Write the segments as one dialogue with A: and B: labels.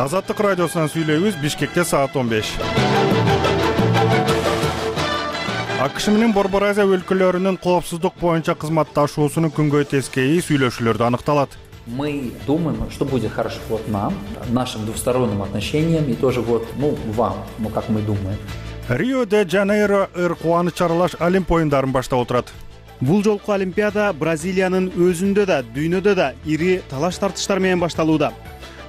A: Азаттык радиосунан сүйлөйбүз. Бишкекте саат 15. АКШ менен Борбор Азия өлкөлөрүнүн коопсуздук боюнча кызматташуусунун күнгөй тескейи сүйлөшүүлөрдө аныкталат.
B: Мы думаем, что будет хорошо вот нам, нашим двусторонним отношениям и тоже вот, вам, как мы думаем.
A: Рио-де-Жанейро кубаныч аралаш Олимп оюндарын баштап отурат.
C: Бул жолку Олимпиада Бразилиянын өзүндө да, дүйнөдө да ири талаш тартыштар менен башталууда.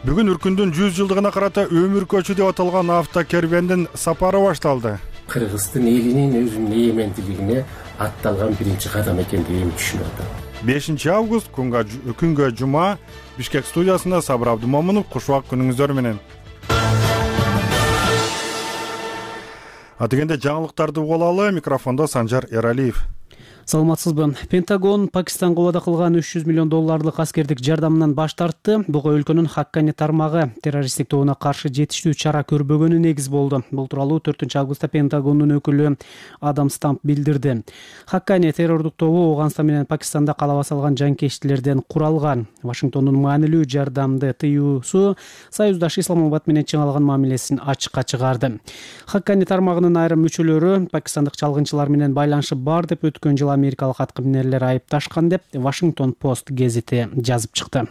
A: Бүгүн Үркүндүн 100 жылдыгына карата өмүр көчү деп аталган автокервендин сапары башталды.
D: Кыргыздын элинин өзүнүн эгемендилигине атталган биринчи кадам экендигин түшүнүп атам.
A: 5 август күнгө жума Бишкек студиясында Сабыр Абдымомунов. Кушубак күнүңүздөр менен. Дегенде жаңылыктарды угулалы. Микрофондо Санжар Эралиев.
C: Саламатсызбы? Пентагон Пакистанга убада кылган $300 миллион аскердик жардамынан баш тартты. Буга өлкөнүн Хаккани тармагы террористтик тобуна каршы жетиштүү чара көрбөгөнү негиз болду. Бул тууралуу 4 августта Пентагондун өкүлү Адам Стамп билдирди. Хаккани террордук тобу Ооганстан менен Пакистанда калаба салган жанкечтилерден куралган. Вашингтондун маанилүү жардамды тыюусу Союздаш Исламабад менен чың алган мамилесин ачыкка чыгарды. Хаккани тармагынын айрым мүчөлөрү пакистандык чалгынчылар менен байланышы бар деп өткөн жыл америкалык аткаминерлер айыпташкан деп Вашингтон Пост гезити жазып чыкты.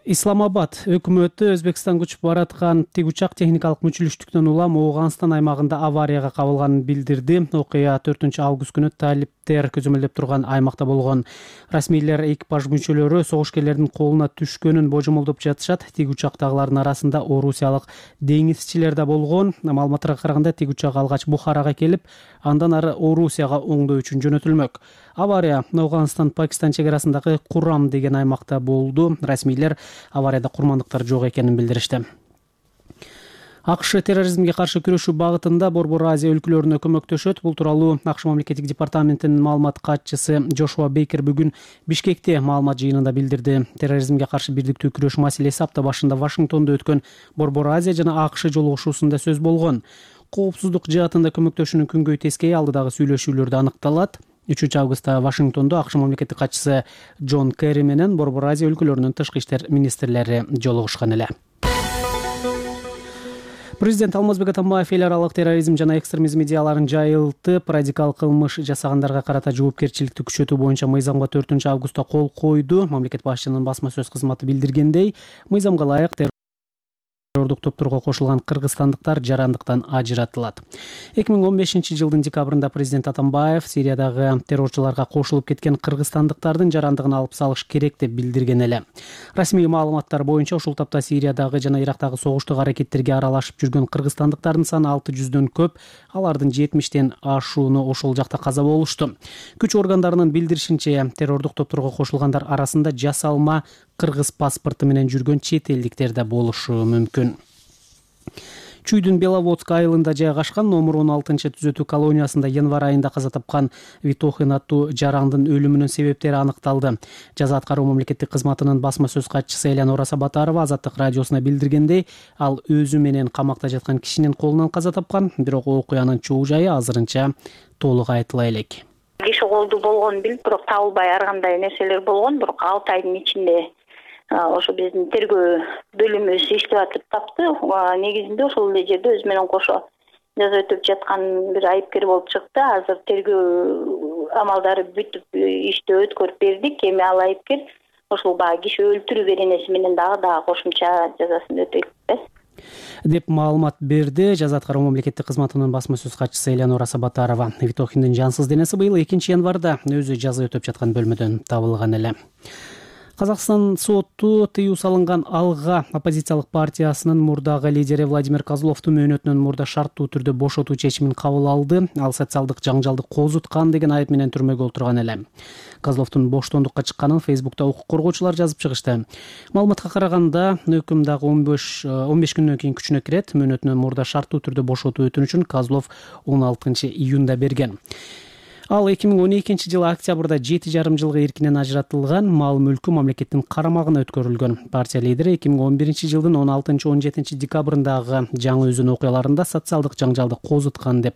C: Исламабад өкмөтү Өзбекстан учуп бараткан тик учак техникалык мүчүлүштүктөн улам Ооганстан аймагында аварияга кабылганын билдирди. Окуя 4 август күнү талиптер көзөмөлдөп турган аймакта болгон. Расмийлер экипаж мүчөлөрү согушкерлердин колуна түшкөнүн божомолдоп жатышат. Тик учактагылардын арасында орусиялык деңизчилер да болгон. Маалыматтарга караганда тик учак алгач Бухарага келип, андан ары Орусияга оңдоо үчүн жөнөтүлмөк. Авария Ооганстан-Пакистан чек арасындагы Курам деген аймакта болду. Расмийлер аварияда курмандыктар жок экенин билдиришти. АКШ терроризмге каршы күрөшүү багытында Борбор Азия өлкөлөрүнө көмөктөшөт. Бул тууралуу АКШ мамлекеттик департаментинин маалымат катчысы Джошуа Бейкер бүгүн Бишкекте маалымат жыйынында билдирди. Терроризмге каршы бирдиктүү күрөш маселеси апта башында Вашингтондо өткөн Борбор Азия жана АКШ жолугушуусунда сөз болгон. Коопсуздук жаатында көмөктөшүүнүн күнгөй тескейи алдыдагы сүйлөшүүлөрдө аныкталат. 3 августта Вашингтондо АКШ мамлекеттик катчысы Джон Керри менен Борбор Азия өлкөлөрүнүн тышкы иштер министрлери жолугушкан эле. Президент Алмазбек Атамбаев эл аралык терроризм жана экстремизм идеяларын жайылтып, радикал кылмыш жасагандарга карата жоопкерчиликти күчөтүү боюнча мыйзамга 4 августта кол койду. Мамлекет башчынын басма сөз кызматы билдиргендей, мыйзамга ылайык террордук топторго кошулган кыргызстандыктар жарандыктан ажыратылат. 2015 жылдын декабрында президент Атамбаев Сириядагы террорчуларга кошулуп кеткен кыргызстандыктардын жарандыгын алып салыш керек деп билдирген эле. Расмий маалыматтар боюнча ушул тапта Сириядагы жана Ирактагы согуштук аракеттерге аралашып жүргөн кыргызстандыктардын саны 600дөн көп, алардын 70тен ашууну ошол жакта каза болушту. Күч органдарынын билдиришинче, террордук топторго кошулгандар арасында жасалма кыргыз паспорту менен жүргөн чет элдиктер да болушу мүмкүн. Чүйдүн Беловодск айылында жайгашкан номер 16 түзөтүү колониясында январь айында каза тапкан Витохин аттуу жарандын өлүмүнүн себептери аныкталды. Жаза аткаруу мамлекеттик кызматынын басма сөз катчысы Элянора Сабатарова Азаттык радиосуна билдиргендей, ал өзү менен камакта жаткан кишинин колунан каза тапкан, бирок окуянын чоо жайы азырынча толук айтыла элек.
E: Киши колду болгонун билип, бирок табылбай ар кандай нерселер болгон, бирок 6 айдын ичинде ошо биздин тергөө бөлүмүбүз иштеп атып тапты. Негизинде ошол эле жерде өзү менен кошо жаза өтөп жаткан бир айыпкер болуп чыкты. Азыр тергөө амалдары бүтүп ишти өткөрүп бердик. Эми ал айыпкер ошол баягы киши өлтүрүү беренеси менен дагы кошумча жазасын өтөйт
C: деп маалымат берди жаза аткаруу мамлекеттик кызматынын басма сөз катчысы Элянора Сабатарова. Витохиндин жансыз денеси быйыл 2 январда өзү жаза өтөп жаткан бөлмөдөн табылган эле. Казакстан соту тыюу салынган Алга оппозициялык партиясынын мурдагы лидери Владимир Козловду мөөнөтүнөн мурда шарттуу түрдө бошотуу чечимин кабыл алды. Ал социалдык жаңжалды козуткан деген айып менен түрмөгө олтурган эле. Козловдун боштондукка чыкканын Фейсбукта укук коргоочулар жазып чыгышты. Маалыматка караганда, өкүм дагы 15 күндөн кийин күчүнө кирет. Мөөнөтүнөн мурда шарттуу түрдө бошотуу өтүнүчүн Козлов 16 июнда берген. Ал 2012 жылы октябрда 7,5 жылга эркинен ажыратылган мал мүлкү мамлекеттин карамагына өткөрүлгөн. Партия лидери 2011 жылдын 16-17 декабрындагы жаңы өзөн окуяларында социалдык жаңжалды козуткан деп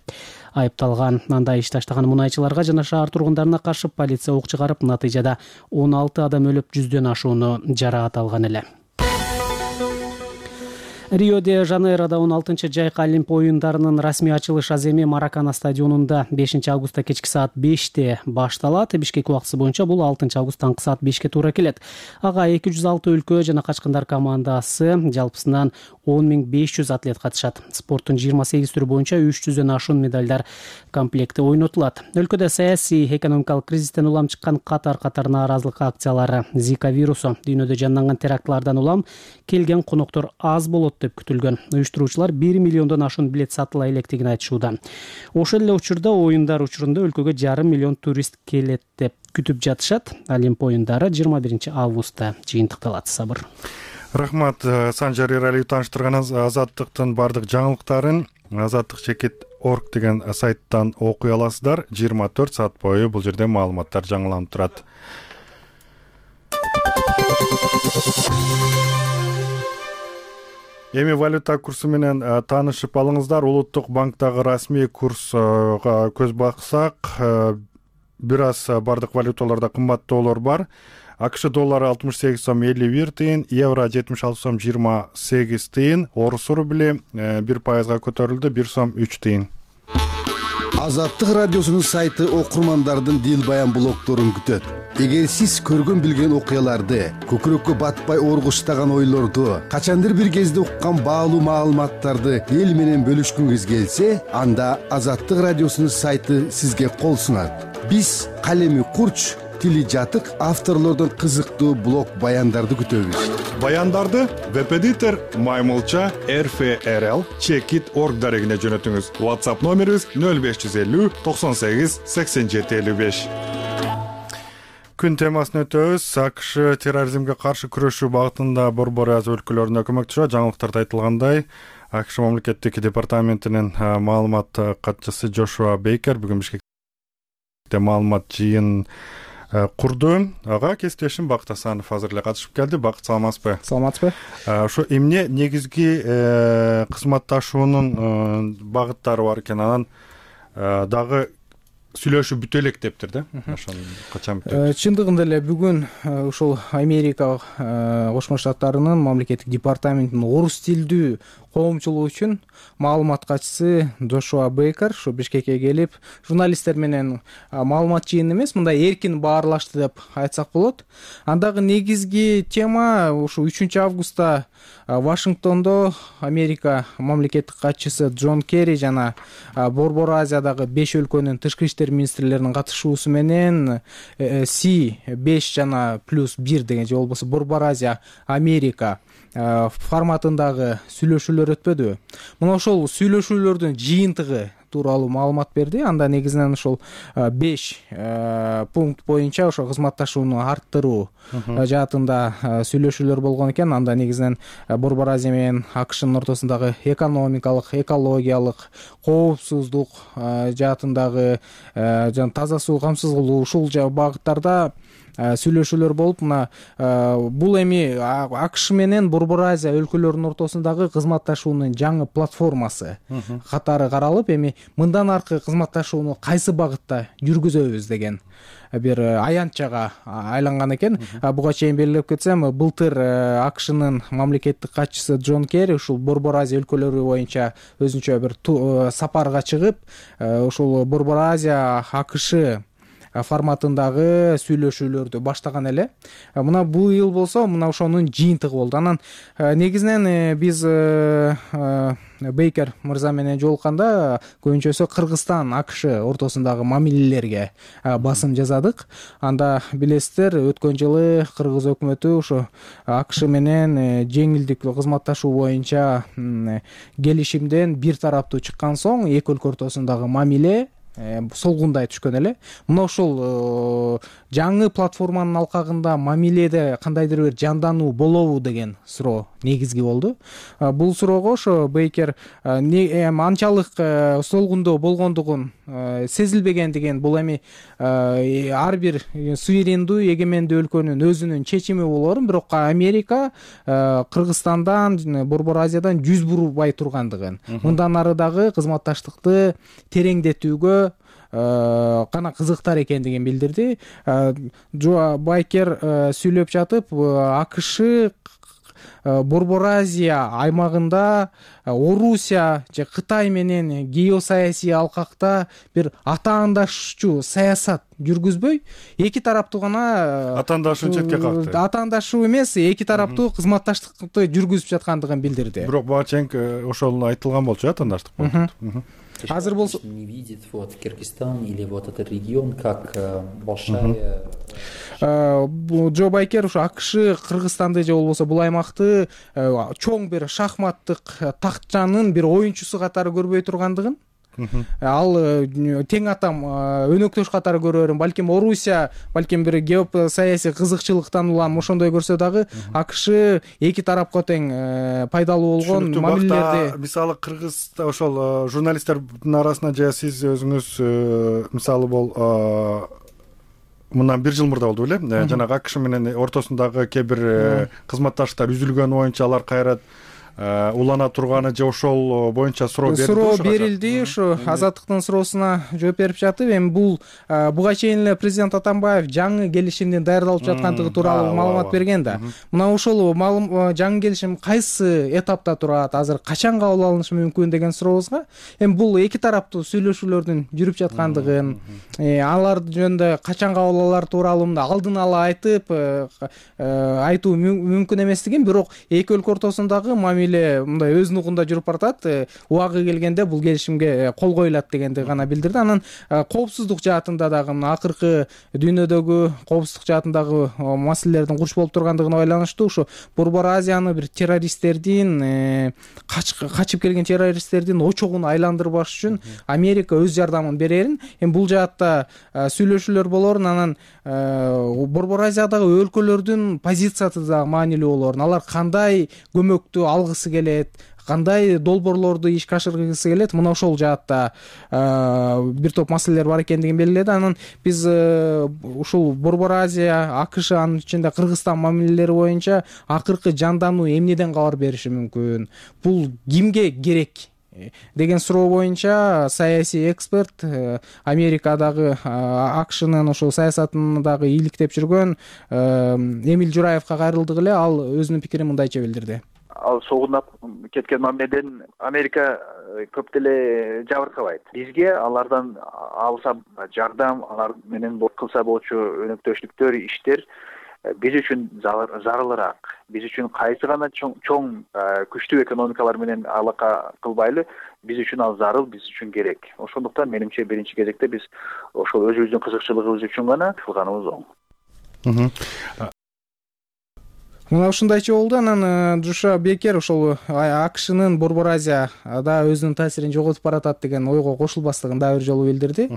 C: айыпталган. Анда иш таштаган мунайчыларга жана шаар тургундарына каршы полиция ок чыгарып, натыйжада 16 адам өлүп, 100дөн ашууну жараат алган эле. Рио-де-Жанейрода 16-жайкы Олимп оюндарынын расмий ачылыш аземи Маракана стадионунда 5-августта кечки саат 5-те башталат. Бишкек убактысы боюнча бул 6-август таңкы саат 5-ке туура келет. Ага 206 өлкө жана качкындар командасы, жалпысынан 10.500 атлет катышат. Спорттун 28 түрү боюнча 300дөн ашуун медалдар комплекти ойнотулат. Өлкөдө саясий, экономикалык кризистен улам чыккан катар нааразылык акциялары, Зика вирусу, дүйнөдө жанданган терактлардан улам келген коноктор аз болот деп күтүлгөн. Уюштуруучулар 1 миллиондон ашуун билет сатыла электигин айтышууда. Ошол эле учурда оюндар учурунда өлкөгө 5,5 миллион турист келет деп күтүп жатышат. Олимп оюндары 21 августта жыйынтыкталат. Сабыр.
A: Рахмат, Санжар Эралиев тааныштырган Азаттыктын бардык жаңылыктарын azattik.org деген сайттан окуй аласыздар. 24 саат бою бул жерде маалыматтар жаңыланып турат. Эми валюта курсу менен таанышып алыңыздар. Улуттук банктагы расмий курска көз баксак, бир аз бардык валюталарда кымбаттоолор бар. АКШ доллары 68 сом 51 тыйын, евро 76 сом 28 тыйын, орус рубли 1%га көтөрүлдү, 1 сом 3 тыйын.
F: Азаттык радиосунун сайты окурмандардын дил баян блогторун күтөт. Эгер сиз көргөн билген окуяларды, көкүрөккө батпай оргуштаган ойлорду, качандыр бир кезде уккан баалуу маалыматтарды эл менен бөлүшкүңүз келсе, анда Азаттык радиосунун сайты сизге кол сунат. Биз калеми курч, тили жатык авторлордон кызыктуу блог баяндарды күтөбүз.
A: Баяндарды веб-эдитор Маймылча RFRL Checkit.org дарегине жөнөтүңүз. WhatsApp номерибиз 0550 98 87 55. Күн темасын өтөбүз. АКШ терроризмге каршы күрөшүү багытында Борбор Азия өлкөлөрүнө көмөкчү. Жаңылыктарда айтылгандай, АКШ мамлекеттик департаментинин маалымат катчысы Джошуа Бейкер бүгүн Бишкекте маалымат жыйын курду. Ага кесиптешим Бакыт Асанов азыр эле катышып келди. Бакыт, саламатсызбы?
C: Саламатсызбы?
A: Ошо эмне негизги кызматташуунун багыттары бар экен, анан дагы сүйлөшүү бүтө элек дептир да. Ошону качан бүтөт?
G: Чындыгында эле бүгүн ушул Америка Кошмо Штаттарынын мамлекеттик департаментинин орус тилдүү коомчулугу үчүн маалымат катчысы Джошуа Бейкер ушу Бишкекке келип, журналисттер менен маалымат жыйын эмес, мындай эркин баарлашты деп айтсак болот. Андагы негизги тема ушу 3-августта Вашингтондо Америка мамлекеттик катчысы Джон Керри жана Борбор Азиядагы 5 өлкөнүн тышкы иштер министрлеринин катышуусу менен C5 жана +1 деген же болбосо Борбор Азия Америка форматындагы сүйлөшүүлөр өтпөдүбү? Мына ошол сүйлөшүүлөрдүн жыйынтыгы тууралуу маалымат берди. Анда негизинен ошол 5 пункт боюнча ошо кызматташууну арттыруу жаатында сүйлөшүүлөр болгон экен. Анда негизинен Борбор Азия менен АКШнын ортосундагы экономикалык, экологиялык, коопсуздук жаатындагы жана таза суу камсыз кылуу ушул багыттарда сүйлөшүүлөр болуп, мына бул эми АКШ менен Борбор Азия өлкөлөрүнүн ортосундагы кызматташуунун жаңы платформасы катары каралып, эми мындан аркы кызматташууну кайсы багытта жүргүзөбүз деген бир аянтчага айланган экен. Буга чейин белгилеп кетсем, былтыр АКШнын мамлекеттик катчысы Джон Керри ушул Борбор Азия өлкөлөрү боюнча өзүнчө бир сапарга чыгып, ушул Борбор Азия АКШ форматындагы сүйлөшүүлөрдү баштаган эле. Мына быйыл болсо, мына ошонун жыйынтыгы болду. Анан негизинен биз Бейкер мырза менен жолукканда көбүнчөсү Кыргызстан АКШ ортосундагы мамилелерге басым жасадык. Анда билесиздер, өткөн жылы кыргыз өкмөтү ушу АКШ менен жеңилдиктүү кызматташуу боюнча келишимден бир тараптуу чыккан соң эки өлкө ортосундагы мамиле солгундай түшкөн эле. Мына ошол жаңы платформанын алкагында мамиледе кандайдыр бир жандануу болобу деген суроо негизги болду. Бул суроого ошо Бейкер анчалык солгундоо болгондугун сезилбегендигин, бул эми ар бир суверендүү эгемендүү өлкөнүн өзүнүн чечими болоорун, бирок Америка Кыргызстандан, Борбор Азиядан 100 буру бай тургандыгын, мындан ары дагы кызматташтыкты тереңдетүүгө гана кызыктар экендигин билдирди. Джо Байкер сүйлөп жатып, АКШ Борбор Азия аймагында Орусия же Кытай менен геосаясий алкакта бир атаандашчу саясат жүргүзбөй, эки тараптуу гана
A: атаандашуу четке какты.
G: Атаандашуу эмес, эки тараптуу кызматташтыкты жүргүзүп жаткандыгын билдирди.
A: Бирок буга чейин ошол айтылган болчу, атаандаштык болду.
G: Азыр болсо
B: не видит вот Кыргызстан или вот этот регион как большая.
G: Джо Байкер ушу АКШ Кыргызстанды же болбосо бул аймакты чоң бир шахматтык тактчанын бир оюнчусу катары көрбөй тургандыгын, ал тең атам өнөктөш катары көрөөрүн, балким Орусия, балким бир геосаясий кызыкчылыктан улам ошондой көрсө дагы АКШ эки тарапка тең пайдалуу болгон мамилелерди.
A: Мисалы Кыргызда ошол журналисттердин арасында же сиз өзүңүз мисалы бол мындан 1 жыл мурда болду беле, жанагы АКШ менен ортосундагы кээ бир кызматташтыктар үзүлгөн боюнча алар кайра улана турганы же ошол боюнча суроо
G: берилди. Ушу Азаттыктын суроосуна жооп берип жатып, эми бул буга чейин эле президент Атамбаев жаңы келишимдин даярдалып жаткандыгы тууралуу маалымат берген да. Мына ошол жаңы келишим кайсы этапта турат, азыр качан кабыл алынышы мүмкүн деген сурообузга, эми бул эки тараптуу сүйлөшүүлөрдүн жүрүп жаткандыгын, алар жөнүндө качан кабыл алар тууралуу алдын ала айтуу мүмкүн эместигин, бирок эки өлкө ортосундагы мамиле мындай өз нугунда жүрүп баратат, убагы келгенде бул келишимге кол коюлат дегенди гана билдирди. Анан коопсуздук жаатында дагы акыркы дүйнөдөгү коопсуздук жаатындагы маселелердин курч болуп тургандыгына байланыштуу ушу Борбор Азияны бир террористтердин, качып келген террористтердин очогуна айландырбаш үчүн Америка өз жардамын берерин, эми бул жаатта сүйлөшүүлөр болоорун, анан Борбор Азиядагы өлкөлөрдүн позициясы да маанилүү болоорун, алар кандай көмөктү алгысы келет, кандай долбоорлорду ишке ашыргысы келет, мына ошол жаатта бир топ маселелер бар экендигин белгиледи. Анан биз ушул Борбор Азия, АКШ, анын ичинде Кыргызстан мамилелери боюнча акыркы жандануу эмнеден кабар бериши мүмкүн, бул кимге керек деген суроо боюнча саясий эксперт, Америкадагы АКШнын ошол саясатын дагы ийгиликтеп жүргөн Эмиль Жураевга кайрылдык эле. Ал өзүнүн пикирин мындайча билдирди.
H: Ал согунап кеткен мамиледен Америка көп деле жабыркабайт. Бизге алардан алса жардам, алар менен кылса болчу өнөктөштүктөр, иштер биз үчүн зарылыраак. Биз үчүн кайсы гана чоң күчтүү экономикалар менен алака кылбайлы, биз үчүн ал зарыл, биз үчүн керек. Ошондуктан менимче биринчи кезекте биз ошол өзүбүздүн кызыкчылыгыбыз үчүн гана кылганыбыз оң.
G: Мына ушундайча болду. Анан Джо Байкер ошол АКШнын Борбор Азияда өзүнүн таасирин жоготуп баратат деген ойго кошулбастыгын дагы бир жолу билдирди.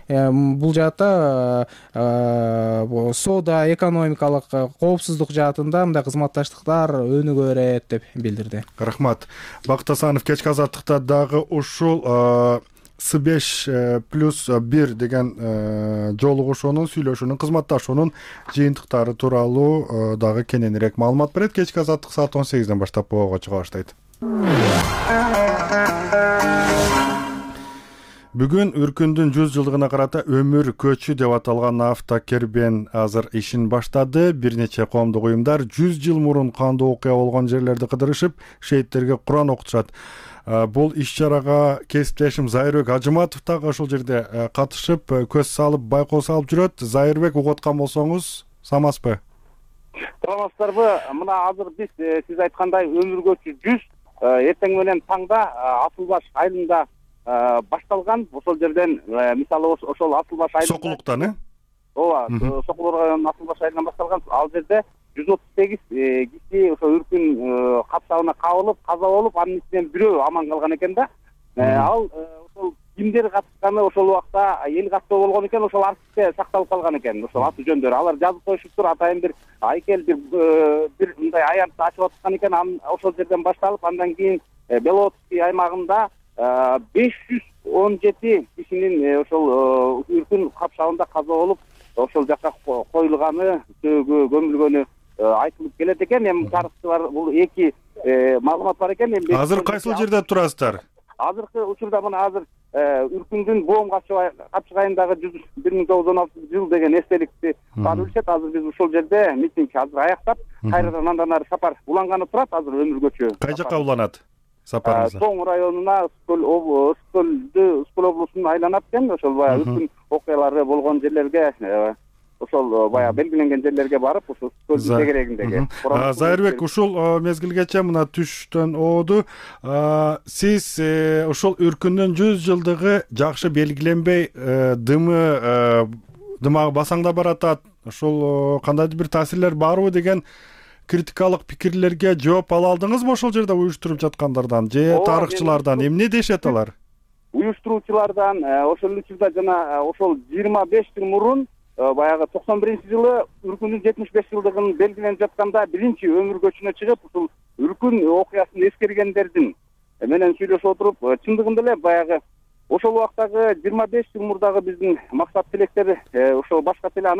G: Бул жаатта соода, экономикалык коопсуздук жаатында мындай кызматташтыктар өнүгө берет деп билдирди.
A: Рахмат. Бакыт Асанов кечки азаттыкта дагы ушул С5+1 деген жолугушуунун, сүйлөшүүнүн, кызматташуунун жыйынтыктары тууралуу дагы кененирээк маалымат берет. Кечки азаттык саат 18-ден баштап боого чыга баштайт. Бүгүн Үркүндүн 100 жылдыгына карата өмүр көчү деп аталган автокербен азыр ишин баштады. Бир нече коомдук уюмдар 100 жыл мурун кандуу окуя болгон жерлерди кыдырышып, шейттерге Куран окутушат. Бул иш-чарага кесиптешим Зайырбек Ажыматов дагы ошол жерде катышып, көз салып, байкоо салып жүрөт. Зайырбек, угуп аткан болсоңуз, самазбы?
I: Саламатсыздарбы? Мына азыр биз сиз айткандай өмүр көчү 100 эртең менен таңда Асылбаш айылында башталган. Ошол жерден мисалы ошол Асылбаш айылында
A: Сокулуктан,
I: ооба, Сокулук районунун Асылбаш айылынан башталган. Ал жерде 138 киши ошо үркүн капсагына кабылып, каза болуп, анын ичинен бирөө аман калган экен да. Ал ошол кимдер катышканы ошол убакта эл каттоо болгон экен, ошол архивде сакталып калган экен, ошол аты жөндөрү. Алар жазып коюшуптур, атайын бир айкел бир мындай аянтты ачып аткан экен. Ошол жерден башталып, андан кийин Беловодский аймагында 517 кишинин ошол үркүн капшагында каза болуп, ошол жака коюлганы, сөөгө көмүлгөнү айтылып келет экен. Эми тарыхчылар бул эки маалымат бар экен.
A: Азыр кайсыл жерде турасыздар?
I: Азыркы учурда мына азыр үркүндүн боом капчыгайындагы 1916 жыл деген эстеликти баары билишет. Азыр биз ушул жерде митинг азыр аяктап, кайрадан андан ары сапар уланганы турат. Азыр өмүргөчө.
A: Кай жака уланат сапарыңыз?
I: Тоң районуна, Скөл облусун айланат экен. Ошол баягы үркүн окуялары болгон жерлерге, ошол баягы белгиленген жерлерге барып, ошол Скөлдүн тегерегиндеги.
A: Зайырбек, ушул мезгилгече мына түштөн ооду. Сиз ошол үркүндүн 100 жылдыгы жакшы белгиленбей, дымагы басаңда баратат. Ошол кандайдыр бир таасирлер барбы деген критикалык пикирлерге жооп ала алдыңызбы ошол жерде уюштуруп жаткандардан же тарыхчылардан? Эмне дешет алар?
I: Уюштуруучулардан ошол учурда жана ошол 25 жыл мурун баягы 91-жылы үркүндүн 75 жылдыгын белгиленип жатканда биринчи өмүргөчүнө чыгып, ушул үркүн окуясын эскергендердин менен сүйлөшүп отуруп, чындыгында эле баягы ошол убактагы 25 жыл мурдагы биздин максат тилектери ошол башкача эле.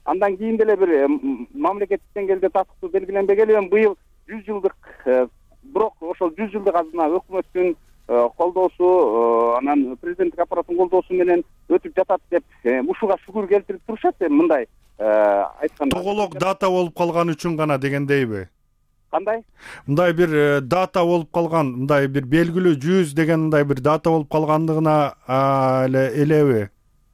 I: Андан кийин деле бир мамлекеттик деңгээлде татыктуу белгиленбегеле, эми быйыл 100 жылдык, бирок ошол 100 жылдык азына өкмөттүн колдоосу, анан президенттик аппараттын колдоосу менен өтүп жатат деп ушуга шүгүр келтирип турушат. Мындай айтканда
A: тоголок дата болуп калган үчүн гана дегендейби?
I: Кандай?
A: Мындай бир дата болуп калган, мындай бир белгилүү 100 деген мындай бир дата болуп калгандыгына элеби?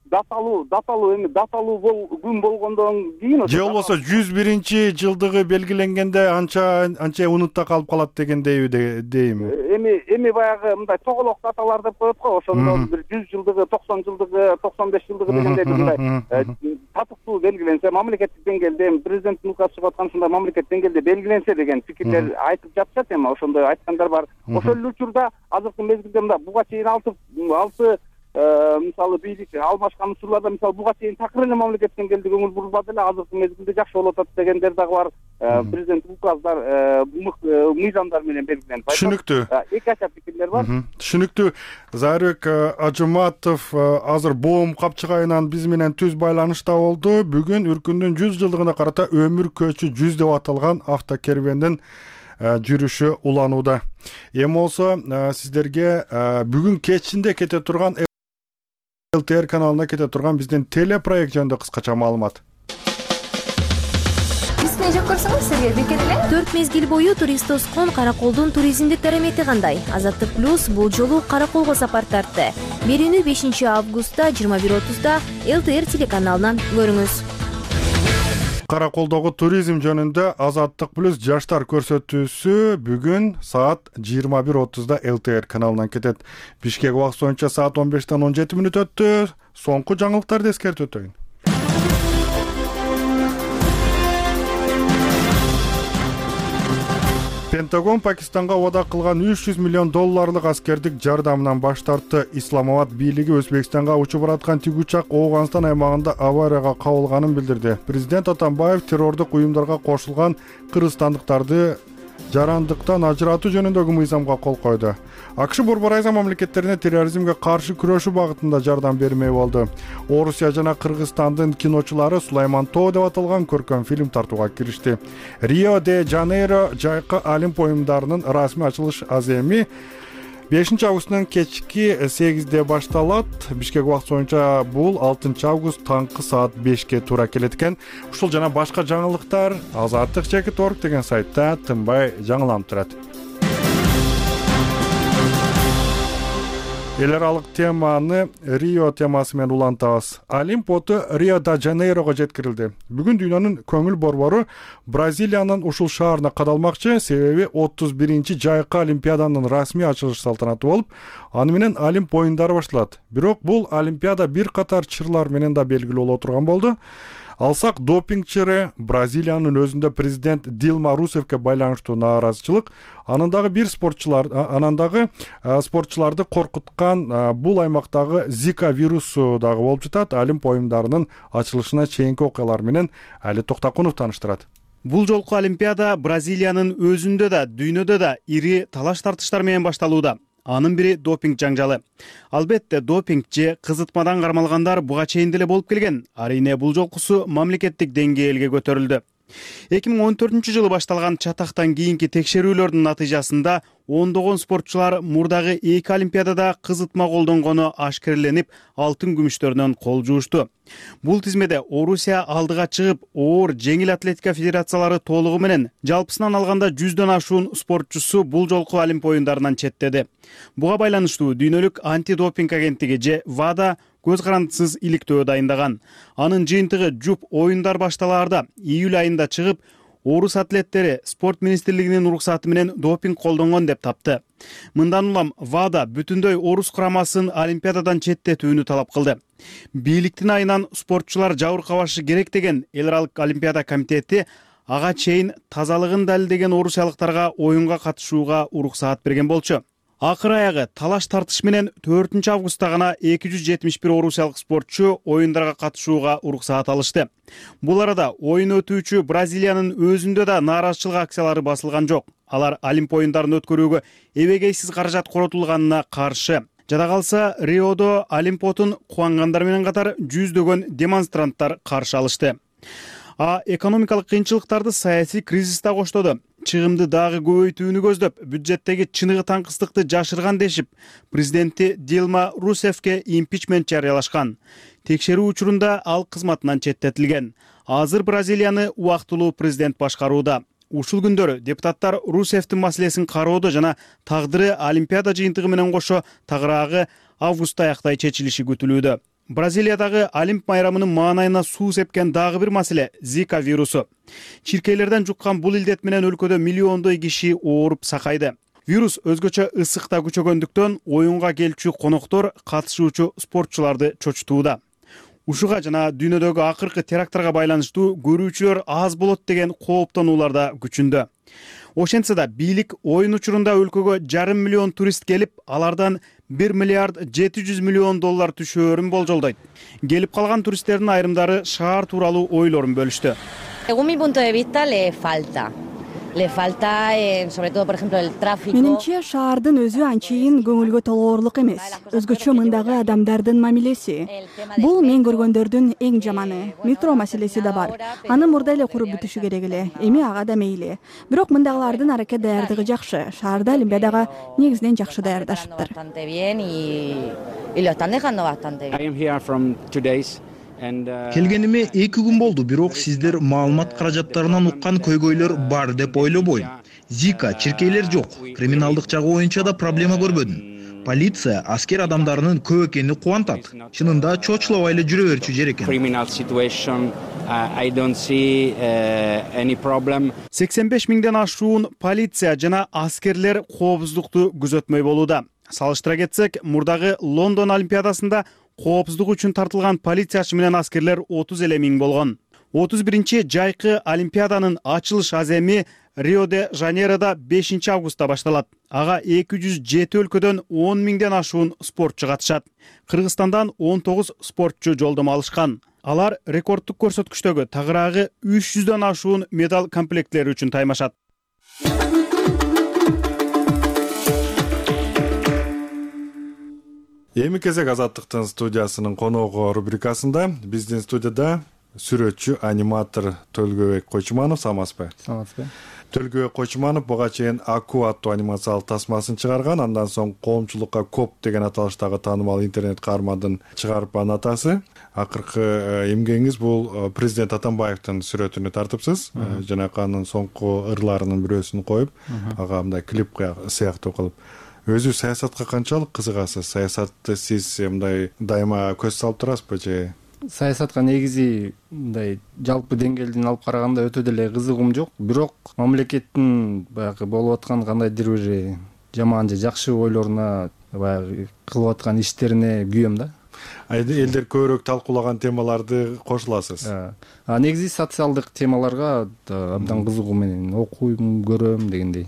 I: Даталуу күн болгондон кийин
A: же болбосо 101 жылдыгы белгиленгенде анча унутта калып калат дегендейби дейми?
I: Эми баягы мындай тоголок даталар деп коет го, ошондон бир 100 жылдыгы, 90 жылдыгы, 95 жылдыгы дегендей мындай татыктуу белгиленсе, мамлекеттик деңгээлде президенттин указы чыгып аткан ушундай мамлекеттик деңгээлде белгиленсе деген пикирлер айтып жатышат. Эми ошондой айткандар бар. Ошол эле учурда азыркы мезгилде мында буга чейин 6 мисалы бийлик алмашкан учурларда, мисалы буга чейин такыр эле мамлекеттик деңгээлде көңүл бурулбады эле, азыркы мезгилде жакшы болуп атат дегендер дагы бар. Президенттик указдар, мыйзамдар менен белгиленет.
A: Түшүнүктүү.
I: Эки ача пикирлер бар.
A: Түшүнүктүү. Зайырбек Ажыматов азыр боом капчыгайынан биз менен түз байланышта болду. Бүгүн үркүндүн 100 жылдыгына карата өмүр көчү 100 деп аталган автокерубендин жүрүшү уланууда. Эми болсо сиздерге бүгүн кечинде кете турган ЛТР каналына кете турган биздин телепроект жөнүндө кыскача маалымат.
J: Бизди жок көрсөңүз сизге бекер эле 4 мезгил бою турист тоскон Караколдун туризмдик дарамети кандай? Азаттык плюс бул жолу Караколго сапар тартты. Берүүнү 5 августта 21:30 ЛТР телеканалынан көрүңүз.
A: Караколдогу туризм жөнүндө Азаттык плюс жаштар көрсөтүүсү бүгүн саат 21:30 ЛТР каналынан кетет. Бишкек убакыты боюнча саат 15-тен 17 мүнөт өттү. Соңку жаңылыктарды эскертип өтөйүн. Пентагон Пакистанга вада кылган $300 миллион аскердик жардамынан баш тартты. Исламабад бийлиги Өзбекстанга учуп бараткан тигучак Ооганстан аймагында аварияга кабылганын билдирди. Президент Атамбаев террордук уюмдарга кошулган кыргызстандыктарды жарандыктан ажыратуу жөнүндөгү мыйзамга кол койду. АКШ Борбор Азия мамлекеттерине терроризмге каршы күрөшүү багытында жардам бермей болду. Орусия жана Кыргызстандын киночулары Сулайман Тоо деп аталган көркөм фильм тартууга киришти. Рио де Жанейро жайкы Олимп оюндарынын расмий ачылыш аземи 5 августтун кечки 8-де башталат. Бишкек убакыты боюнча бул 6 август таңкы саат 5-ке туура келет экен. Ушул жана башка жаңылыктар Азаттык.org деген сайтта тынбай жаңыланып турат. Эл аралык теманы Рио темасы менен улантабыз. Олимп оту Рио де Жанейрого жеткирилди. Бүгүн дүйнөнүн көңүл борбору Бразилиянын ушул шаарына кадалмакчы, себеби 31-чи жайкы Олимпиаданын расмий ачылыш салтанаты болуп, аны менен Олимп оюндары башталат. Бирок бул Олимпиада бир катар чырлар менен да белгилүү боло турган болду. алсак, допингчире Бразилиянын өзүндө президент Дилма Русефке байланыштуу нааразычылык анан дагы спортчуларды коркуткан бул аймактагы Зика вирусу дагы болуп жатат. Олимп оюндарынын ачылышына чейинки окуялар менен Али Токтакунов тааныштырат.
K: Бул жолку Олимпиада Бразилиянын өзүндө да, дүйнөдө да ири талаш-тартыштар менен башталууда. Анын бири допинг жаңжалы. Албетте, допинг же кызытмадан кармалгандар буга чейин деле болуп келген. Арине бул жолкусу мамлекеттик деңгээлге көтөрүлдү. 2014-жылы башталган чатактан кийинки текшерүүлөрдүн натыйжасында ондогон спортчулар мурдагы 2 Олимпиадада кызытма колдонгону ашкереленип, алтын күмүштөрүнөн кол жуушту. Бул тизмеде Орусия алдыга чыгып, оор жеңил атлетика федерациялары толугу менен жалпысынан алганда 100дөн ашуун спортчусу бул жолку Олимп оюндарынан четтеди. Буга байланыштуу дүйнөлүк антидопинг агенттиги же ВАДА көз карандысыз иликтөө дайындаган. Анын жыйынтыгы жуп оюндар башталаарда июль айында чыгып, орус атлеттери спорт министрлигинин уруксаты менен допинг колдонгон деп тапты. Мындан улам ВАДА бүтүндөй орус курамасын Олимпиададан четтетүүнү талап кылды. Бийликтин айынан спортчулар жабыркабашы керек деген эл аралык Олимпиада комитети ага чейин тазалыгын далилдеген орусиялыктарга оюнга катышууга уруксаат берген болчу. Акыр аягы талаш тартыш менен 4 августта гана 271 орусиялык спортчу оюндарга катышууга уруксаат алышты. Бул арада оюн өтүүчү Бразилиянын өзүндө да нааразычылык акциялары басылган жок. Алар Олимп оюндарын өткөрүүгө эбегейсиз каражат коротулганына каршы. Жада калса, Риодо Олимпотун кубангандар менен катар жүздөгөн демонстранттар каршы алышты. Экономикалык кыйынчылыктарды саясий кризис да коштоду. Чыгымды дагы көбөйтүүнү көздөп, бюджеттеги чыныгы таңкыстыкты жашырган дешип, президенти Дилма Русефке импичмент жарыялашкан. Текшерүү учурунда ал кызматынан четтетилген. Азыр Бразилияны убактылуу президент башкарууда. Ушул күндөрү депутаттар Русефтин маселесин кароодо жана тагдыры Олимпиада жыйынтыгы менен кошо тагыраагы августта аяктай чечилиши күтүлүүдө. Бразилиядагы Олимп майрамынын маанайына суу сепкен дагы бир маселе — Зика вирусу. Чиркейлерден жуккан бул илдет менен өлкөдө миллиондой киши ооруп сакайды. Вирус өзгөчө ысыкта күчөгөндүктөн оюнга келчү коноктор катышуучу спортчуларды чочутууда. Ушуга жана дүйнөдөгү акыркы теракттарга байланыштуу көрүүчүлөр аз болот деген кооптонуулар да күчүндө. Ошентсе да бийлик оюн учурунда өлкөгө 500 миллион турист келип, алардан 1 миллиард 700 миллион доллар түшөөрүн болжолдойт. Келип калган туристтердин айрымдары шаар тууралуу ойлорун бөлүштү.
L: Según mi punto de vista, le falta, sobre todo, por ejemplo, el tráfico.
M: Менимче, шаардын өзү анчейин көңүлгө толоорлук эмес. Өзгөчө мындагы адамдардын мамилеси. Бул мен көргөндөрдүн эң жаманы. Метро маселеси да бар. Аны мурда эле куруп бүтүшү керек эле. Эми ага да мейли. Бирок мындагылардын аракет даярдыгы жакшы. Шаарда Олимпиадага негизинен жакшы даярдашыптыр.
N: Келгениме 2 күн болду, бирок сиздер маалымат каражаттарынан уккан көйгөйлөр бар деп ойлобойм. Зика, чиркейлер жок. Криминалдык жагы боюнча да проблема көрбөдүм. Полиция аскер адамдарынын көп экени кубантат. Чынында чочулабай эле жүрө берчү жер экен.
K: 85 миңден ашуун полиция жана аскерлер коопсуздукту күзөтмөй болууда. Салыштыра кетсек, мурдагы Лондон Олимпиадасында коопсуздук үчүн тартылган полициячы менен аскерлер 30 эле миң болгон. 31 жайкы Олимпиаданын ачылыш аземи Рио-де-Жанейрода 5 августта башталат. Ага 207 өлкөдөн 10 миңден ашуун спортчу катышат. Кыргызстандан 19 спортчу жолдомо алышкан. Алар рекорддук көрсөткүчтөгү тагыраагы 300дөн ашуун медаль комплектлери үчүн таймашат.
A: Эми кезек Азаттыктын студиясынын коногу рубрикасында биздин студияда сүрөтчү, аниматор Төлгөбек Койчуманов. Саламатсызбы?
G: Саламатсызбы.
A: Төлгөбек Койчуманов буга чейин Аку аттуу анимациялык тасмасын чыгарган, андан соң коомчулукка Коп деген аталыштагы таанымал интернет каармандын чыгарып атасы. Акыркы эмгегиңиз бул президент Атамбаевдин сүрөтүнү тартыпсыз. Жанакы анын соңку ырларынын бирөөсүн коюп, ага мындай клип сыяктуу кылып. Өзү саясатка канчалык кызыгасыз? Саясатты сиз мындай дайыма көз салып турасызбы же?
G: Саясатка негизи мындай жалпы деңгээлден алып караганда өтө деле кызыгым жок. Бирок мамлекеттин баягы болуп аткан кандайдыр бир жаман же жакшы ойлоруна баягы кылып аткан иштерине күйөм да.
A: элдер көбүрөөк талкуулаган темаларды кошуласыз.
G: Негизи социалдык темаларга абдан кызыгуу менен окуйм, көрөм дегендей.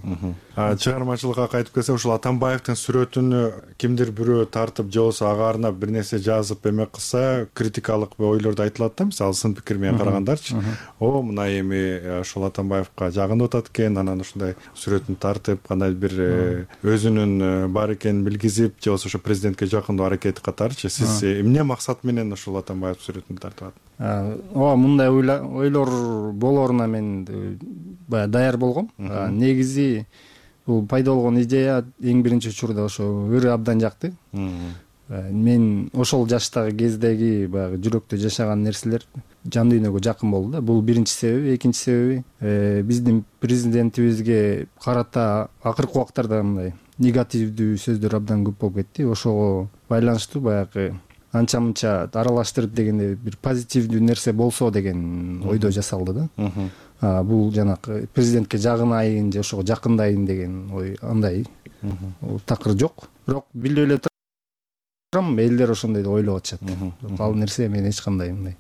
A: Чыгармачылыкка кайтып келсек, ушул Атамбаевдин сүрөтүнө кимдир бирөө тартып же болбосо ага арнап бир нерсе жазып эме кылса, критикалык ойлорду айтылат да, мисалы сын пикир менен карагандарчы. Мына эми ушул Атамбаевка жагынып атат экен, анан ушундай сүрөтүн тартып, кандай бир өзүнүн бар экенин билгизип, же болбосо ошо президентке жакындоо аракети катарычы. Сиз эмне максат менен ушул Атамбаев сүрөтүн тартып атат?
G: Мындай ойлор болоруна мен баягы даяр болгом. Негизи бул пайда болгон идея эң биринчи учурда ошо ыры абдан жакты. Мен ошол жаштагы кездеги баягы жүрөктө жашаган нерселер жан дүйнөгө жакын болду да. Бул биринчи себеби. Экинчи себеби биздин президентибизге карата акыркы убактарда мындай негативдүү сөздөр абдан көп болуп кетти. Ошого байланыштуу баягы анча мынча аралаштырып дегенде бир позитивдүү нерсе болсо деген ойдо жасалды да. Бул жанакы президентке жагынайын же ошого жакындайын деген ой андай такыр жок. Бирок билип эле турам, элдер ошондой деп ойлоп атышат. Ал нерсе мен эч кандай мындай.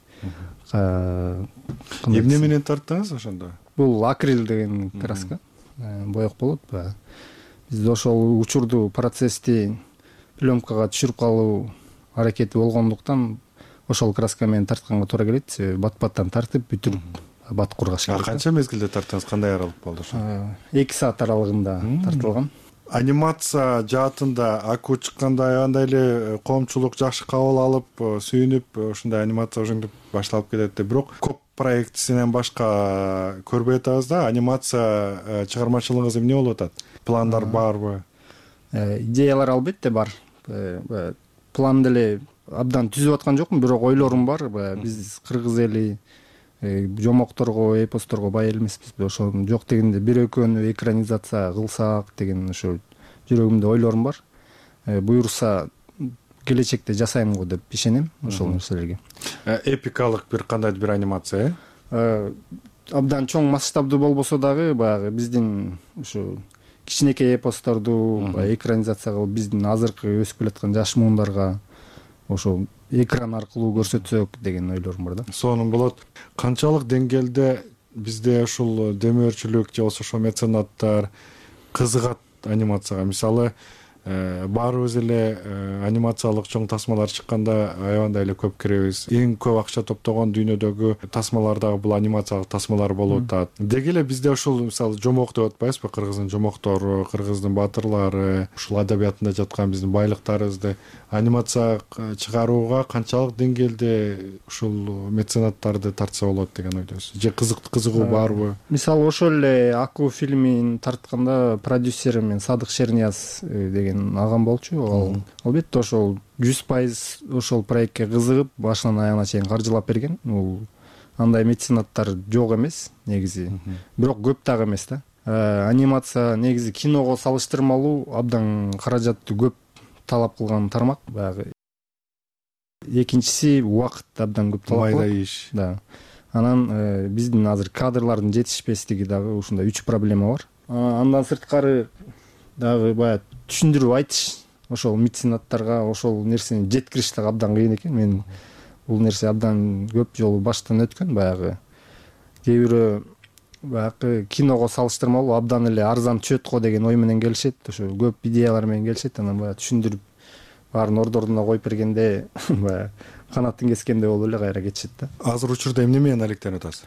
A: Эмне менен тарттыңыз ошондо?
G: Бул акрил деген краска, боек болот. Биз ошол учурду, процессти пленкага түшүрүп калуу аракети болгондуктан ошол краска менен тартканга туура келет. Бат-баттан тартып бүтүрүп бат кургаш керек.
A: Канча мезгилде тарттыңыз? Кандай аралык болду ошо?
G: 2 саат аралыгында тартылган.
A: Анимация жаатында Аку чыкканда андай эле коомчулук жакшы кабыл алып, сүйүнүп, ушундай анимация ошентип башталып кетет деп. Бирок коп проектисинен башка көрбөй атабыз да. Анимация чыгармачылыгыңыз эмне болуп атат? Пландар барбы?
G: Идеялар албетте бар. План деле абдан түзүп аткан жокмун, бирок ойлорум бар. Биз кыргыз эли жомокторго, эпосторго бай эмеспиз. Ошо жок дегенде бир экөөнү экранизация кылсак деген ошо жүрөгүмдө ойлорум бар. Буюрса келечекте жасайм го деп ишенем ошол нерселерге.
A: Эпикалык бир кандайдыр бир анимация,
G: абдан чоң масштабдуу болбосо дагы баягы биздин ошо кичинекей эпосторду экранизация кылып биздин азыркы өсүп келаткан жаш муундарга ошо экран аркылуу көрсөтсөк деген ойлорум бар да.
A: Сонун болот. Канчалык деңгээлде бизде ушул демөөрчүлүк же болбосо ошо меценаттар кызыгат анимацияга? Мисалы, баарыбыз эле анимациялык чоң тасмалар чыкканда аябандай эле көп киребиз. Эң көп акча топтогон дүйнөдөгү тасмалар дагы бул анимациялык тасмалар болуп атат. Деги эле бизде ушул мисалы жомок деп атпайбызбы? Кыргыздын жомоктору, кыргыздын батырлары, ушул адабиятында жаткан биздин байлыктарыбызды анимация чыгарууга канчалык деңгээлде ушул меценаттарды тартса болот деген ойдосуз? Же кызыгуу барбы?
G: Мисалы ошол эле Аку фильмин тартканда продюсерим мен Садык Шернияз деген агам болчу. Албетте ошол 100% ошол проектке кызыгып, башынан аягына чейин каржылап берген. Бул андай меценаттар жок эмес негизи. Бирок көп дагы эмес да. Анимация негизи киного салыштырмалуу абдан каражатты көп талап кылган тармак. Баягы экинчиси убакыт абдан көп талап кылат.
A: Майда иш.
G: Да. Анан биздин азыр кадрлардын жетишпестиги дагы ушундай 3 проблема бар. Андан сырткары дагы баягы түшүндүрүп айтыш ошол меценаттарга ошол нерсени жеткириш дагы абдан кыйын экен. Мен бул нерсе абдан көп жолу баштан өткөн. Баягы кээ бирөө баягы киного салыштырмалуу абдан эле арзан түшөт го деген ой менен келишет. Ошо көп идеялар менен келишет. Анан баягы түшүндүрүп баарын ордоруна коюп бергенде баягы канатын кескенде болуп эле кайра кетишет да.
A: Азыр учурда эмне менен алектенип атасыз?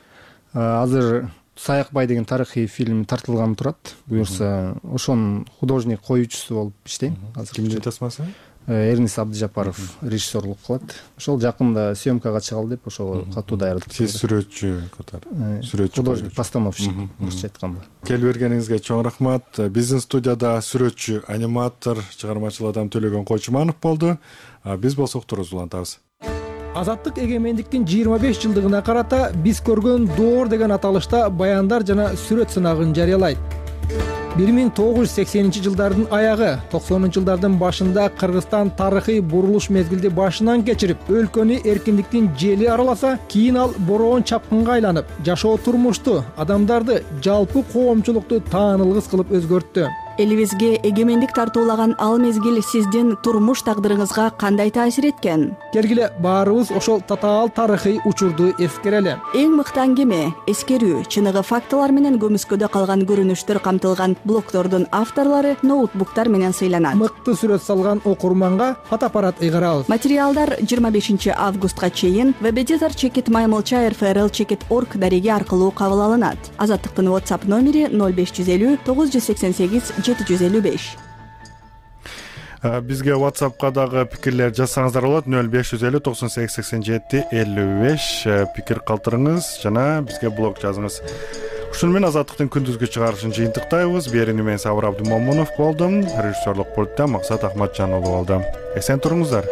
G: Азыр Саякбай деген тарыхый фильм тартылган турат. Буюрса ошонун художник коюучусу болуп иштейм. Азыр
A: Кимдин тасмасы?
G: Эрнис Абдыжапаров режиссерлук кылат. Ошол жакында съемкага чыгалы деп ошого катуу даярдык.
A: Сиз сүрөтчү катары. Сүрөтчү,
G: художник, постановщик орусча айтканда.
A: Келип бергениңизге чоң рахмат. Биздин студияда сүрөтчү, аниматор, чыгармачыл адам Төлөгөн Койчуманов болду. Биз болсо уктурубузду улантабыз.
O: Азаттык эгемендиктин 25 жылдыгына карата биз көргөн доор деген аталышта баяндар жана сүрөт сынагын жарыялайт. 1980 жылдардын аягы, 90 жылдардын башында Кыргызстан тарыхый бурулуш мезгилди башынан кечирип, өлкөнү эркиндиктин жели араласа, кийин ал бороон чапкынга айланып, жашоо турмушту, адамдарды, жалпы коомчулукту таанылгыс кылып өзгөрттү.
M: элибизге эгемендик тартуулаган ал мезгил сиздин турмуш тагдырыңызга кандай таасир эткен?
O: Келгиле баарыбыз ошол татаал тарыхый учурду эскерели.
M: Эң мыкты аңгеме, эскерүү, чыныгы фактылар менен көмүскөдө калган көрүнүштөр камтылган блогтордун авторлору ноутбуктар менен сыйланат.
O: Мыкты сүрөт салган окурманга фотоаппарат ыйгарабыз.
M: Материалдар 25 августка чейин webeditor@maymolcha.rfrl.org дареги аркылуу кабыл алынат. Азаттыктын WhatsApp номери 0550 988 755.
A: Бизге WhatsApp'ка дагы пикирлер жазсаңыздар болот. 0550 98 87 55 пикир калтырыңыз жана бизге блог жазыңыз. Ушуну менен Азаттыктын күндүзгү чыгарышын жыйынтыктайбыз. Берүүнү мен Сабыр Абдымомунов болдум. Режиссерлук пульттан Максат Ахматжан уулу болду. Эсен туруңуздар.